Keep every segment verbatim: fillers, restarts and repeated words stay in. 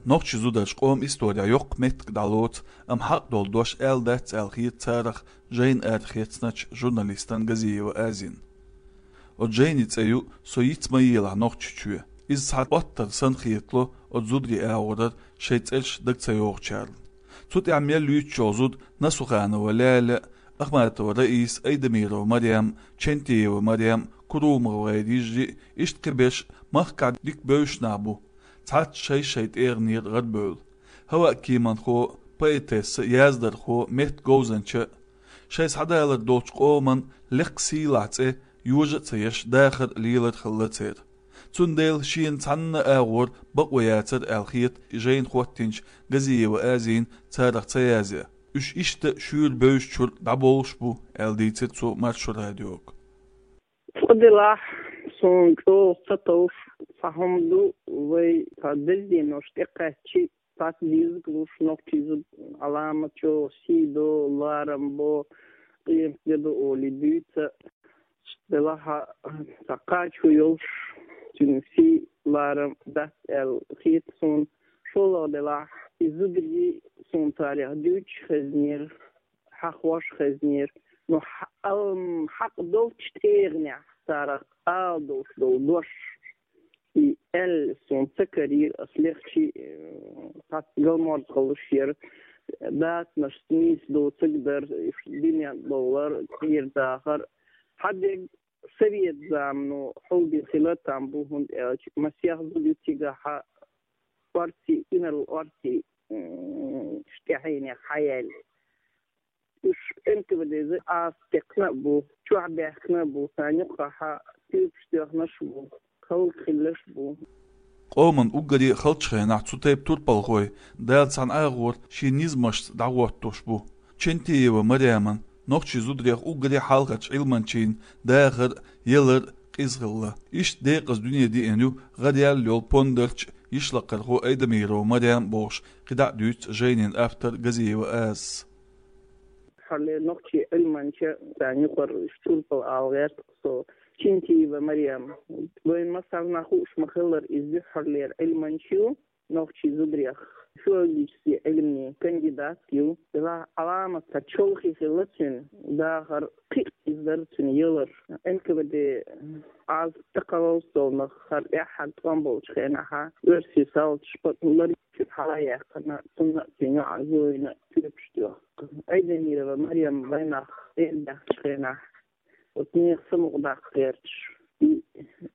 Нохчий зудараш къоман исторехь йоккха меттиг дӀалоцу, амма хьакъ долу дош аьлла дац аьлла хета царах жайна арахецначу журналистана Газиева Азина. Оцу жайни цӀе ю «Со йиц ма елахь Нохчийчоь». Иза цхьа оттар санна хетало оцу зударийн агӀорара шайн цӀераш дага ца йогӀучарна. Цу тӀехь мел юьйцуш йолу зуда Насуханова Лаьла, Ахматова Раиса, Айдамирова Марем, Чентиева Марем, Курумова йижарий, иштта кхиберш махкахь дика бевзаш нах бу. Цхьацца шай-шай тӀегӀанера гӀарабевлла. ХӀаваъ кеманхо, поэтесса, яздархо, меттан говзанча. Шайн схьадалар долчу къоман лекха сийлахь цӀе йожа а ца еш, дахар а, лелар а хилла церан. Цундела шена цхьанна а агӀор бакъо яцара аьлла хета жайна хӀоттийначу Газиева Азина царах ца язъян. Уьш иштта шуьйра бевзачуьра дӀабовлуш бу, аьлла дийцира цо Маршо радиога. Цкъа делахь, суна чӀогӀа ца товш цхьа хӀума ду, вай цхьа деза денош тӀекхаьччи, цхьацца дезаг луш, нохчий зуда Ӏаламат чӀогӀа сий до, ларам бо, къемат де до олий дуьйцу. Делахь, цхьа кхачо йолуш, цуьнан сий, ларам дац аьлла хета суна. ШолгӀа делахь, и зударий суна царах дуьйцуш хезнера, хьахош хезнера. Ну, хьа-, ам, хьакъ долчу тӀегӀанехь царах ала долуш долу дош, и аьлла суна ца карийра, ас лехчи, э, цхьацца галморзахаллаш яра, дацанаш нийса доцург дара, уьш дуьнен тӀе бовлар, кӀира дахар. Хьан дерг совет замано хьулдина хила там бу, хӀунда аьлча масех зуда ю цигахь, орций, инарла орций, м, тӀаьхьенех хьаяьлла. Уьш Н К В Д-за Ӏазап текхна а бу, чохь баьхкина а бу, царна юккъехь туьйпаш тоьхнарш а бу, халкъ хилларш а бу. Къоман уггаре халчу хенахь цу тайпа турпалхой Дала цхьана агӀор шен низамашца дӀахӀоттош бу. Чентиева Мареман, нохчий зударех уггаре хьалхарчу Ӏилманчийн, дахар а, ялар а къиза хилла. Иштта декъаза дуьне деана ю гӀараяьлла йолу пондарча, йишлакхархо Айдамирова Марем бохуш, кхидӀа а дуьйцу жайнин автор Газиева Азас. Дуьххьарлера нохчий Ӏилманча, царна юкъара уьш турпал ала гӀерта со, Чинтиева Марем. Вайн массарна хууш ма-хиллара, иза дуьххьарлера Ӏилманча ю, нохчий зударех филологический Ӏилмийн кандидат ю. Делахь Ӏаламат цхьа чолхе хилла цуьнан, дахар кхин а къиза дара цуьнан ялар. Н К В Д Ӏазап тӀекхаллалц долнах хӀара тӀаьххьара тӀом болчу хенахь, оьрсийн салташа пакъ ларийчуьра хьала а яьккхина, цунна а, цуьнан йоӀана Зоина а туьйпаш тоьхна. Айдамирова Марем вайнах эр баьхначу хенахь, оцу нехан самукъадаккха гӀерташ, и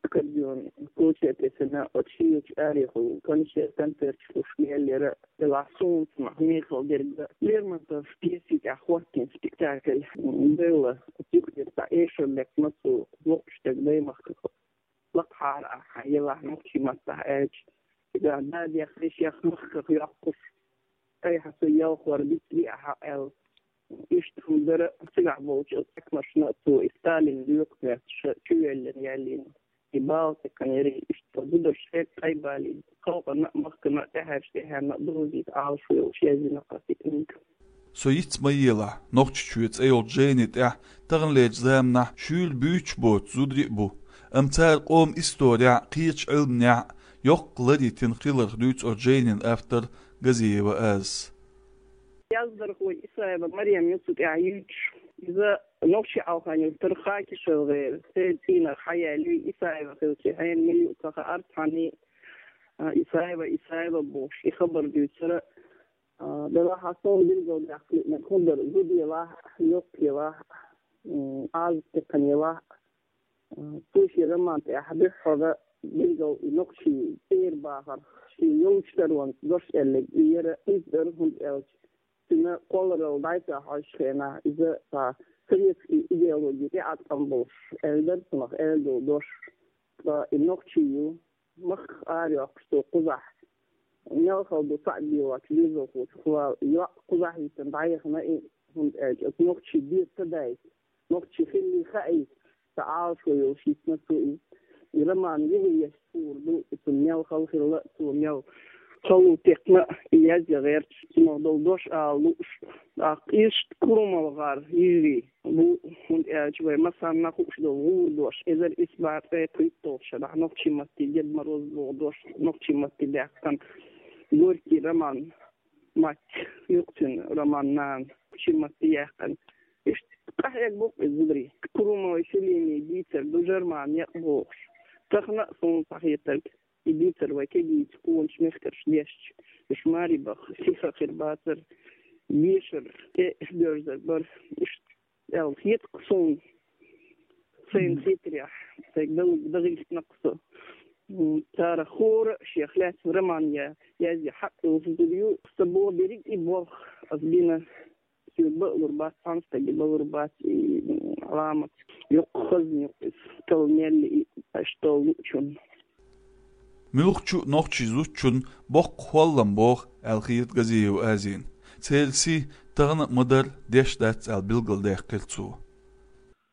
аккордеон коча а тесина, оцу шийлачу арехула концерт, концерташ луш мел яра, делахь суна цунах мехала дерг а, Лермонтов пьеси тӀехь хӀоттийна спектакль, м, белла, оцу юкъера цхьа эшар лекхна цо, воккхачу стеган даймахках. Лакхахьара ахьа елахь нохчийн маттахь аьлча, цигахь дадех, вешех махках йоккхуш, айхьа со ялхор дицле ахьа аьлла. Иштта хӀума дара, цигахь болчу оцу хьаькамашна а цо и Сталин лоькху моьттуш чувоьллина яьллина. И бала тӀекхаьчнера, иштта зударша хӀетта тӀе а балийна, халкъана а, махкана а тӀаьхьарчу тӀаьхьенна а довзийта Ӏалашо йолуш яздина кхин книга. «Со йиц ма елахь Нохчийчоь» цӀе йолчу жайни тӀехь таханлерчу заманахь шуьйра буьйцуш боцу зударий а бу, амма цара къоман исторехь а, кхечу Ӏилманехь а йоккха лар йитина хиларх дуьйцу оцу жайнин автор Газиева Азас. Яздархо Исаева Марем ю цу тӀехь юьйцуш. Иза Нохчийн Алханил тара Хакишев гӀера, церан цӀийнах хьаяьлла ю, Исаева хилча хьенан мила ю ца хаьара цхьанна а, Исаева, Исаева бохуш, и хабар дуьйцура. А, делахь а суна билгалдаьккхина хӀума дара, зуда елахь а, йоккха елахь а, м, Ӏазап текхна елахь а. А, цо шен роман тӀехь дуьххьара билггал и нохчийн цӀера бахарх, шен йолчу таронца дош аьлларг и яра, иза дара, хӀунда аьлча цуьнан кхолларалла дӀасахьош хенахь, иза цхьа советский идеологи тӀеӀаткъам болуш аьлла дара цунах аьлла долу дош. Ткъа и нохчи ю, махках арайоккхуш цо кхузахь, мел хала ду цхьаъ беллачу доьзалхочух вала йоӀ кхузахь йитина дӀаяхана и, хӀунда аьлча оцу нохчийн бертан дайта, нохчи хиллий хаийта, цхьа Ӏалашо йолуш йитина цо иза. И роман юха еш хуур ду, и цунна мел хала хилла а, цо мел хало текхна а, и язъян гӀерташ, цунах долу дош ала лууш. ТӀаккха иштта Курумалгар йижарий бу, хӀунда аьлча вай массарна хууш долу гӀур дош, эзар исс бӀе ткъе пхийтталгӀачу шарахь нохчийн матте Дед Мороз боху дош, нохчийн матте даьккхина. Горький роман, мать, юкъцин роман, нана, ши матте яьккхина. Иштта къахьегаб-кх из зударий. Крумовой Селимий дийцар ду, Жерман некъ бохуш. Тахан а суна цхьа хетарг, и дийцар вай кегийчу къоначу мехкарша дешча, уьш маре баха сиха хир бацара, дешар тӀе доьрзар бара. Иштта аьлла хета-кх суна, сайна хетарехь, сайга дал-, дагахь хӀиттина-кх со. М, цара хӀора а шех лаьцна роман я-, язъе хьакъ йолуш зуда ю. Сан боху берриг и болх ас бина. Соьга баалур бац, цхьана стаге баалур бац и, м, Ӏаламат. Йоккха хазна ю-кх иза, талла мел и, аша толлучунна. Муьлххачу а нохчийн зудчунна боккха хӀоллам богӀу аьлла хета Газиева Азина. Церан сий тахана а ма-дарра деш дац аьлла билгалдаьккхира цо.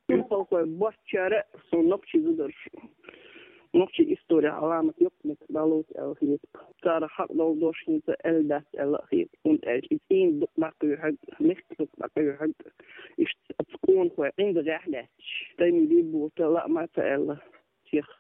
Турпалхой боцчара а суна нохчийн зударша, нохчийн исторехь Ӏаламат йоккха меттиг дӀалоцу аьлла хета. Царах хьакъ долу дош хӀинца аьлла дац аьлла а хета. ХӀунда аьлча и цӀийнан дукъ дӀакхоьхьург, мехкан дукъ дӀакхоьхьург, иштта оцу къонахой ӀиндагӀехь лаьтташ, тайна бий боху лаьа ма ца аьлла. Сиха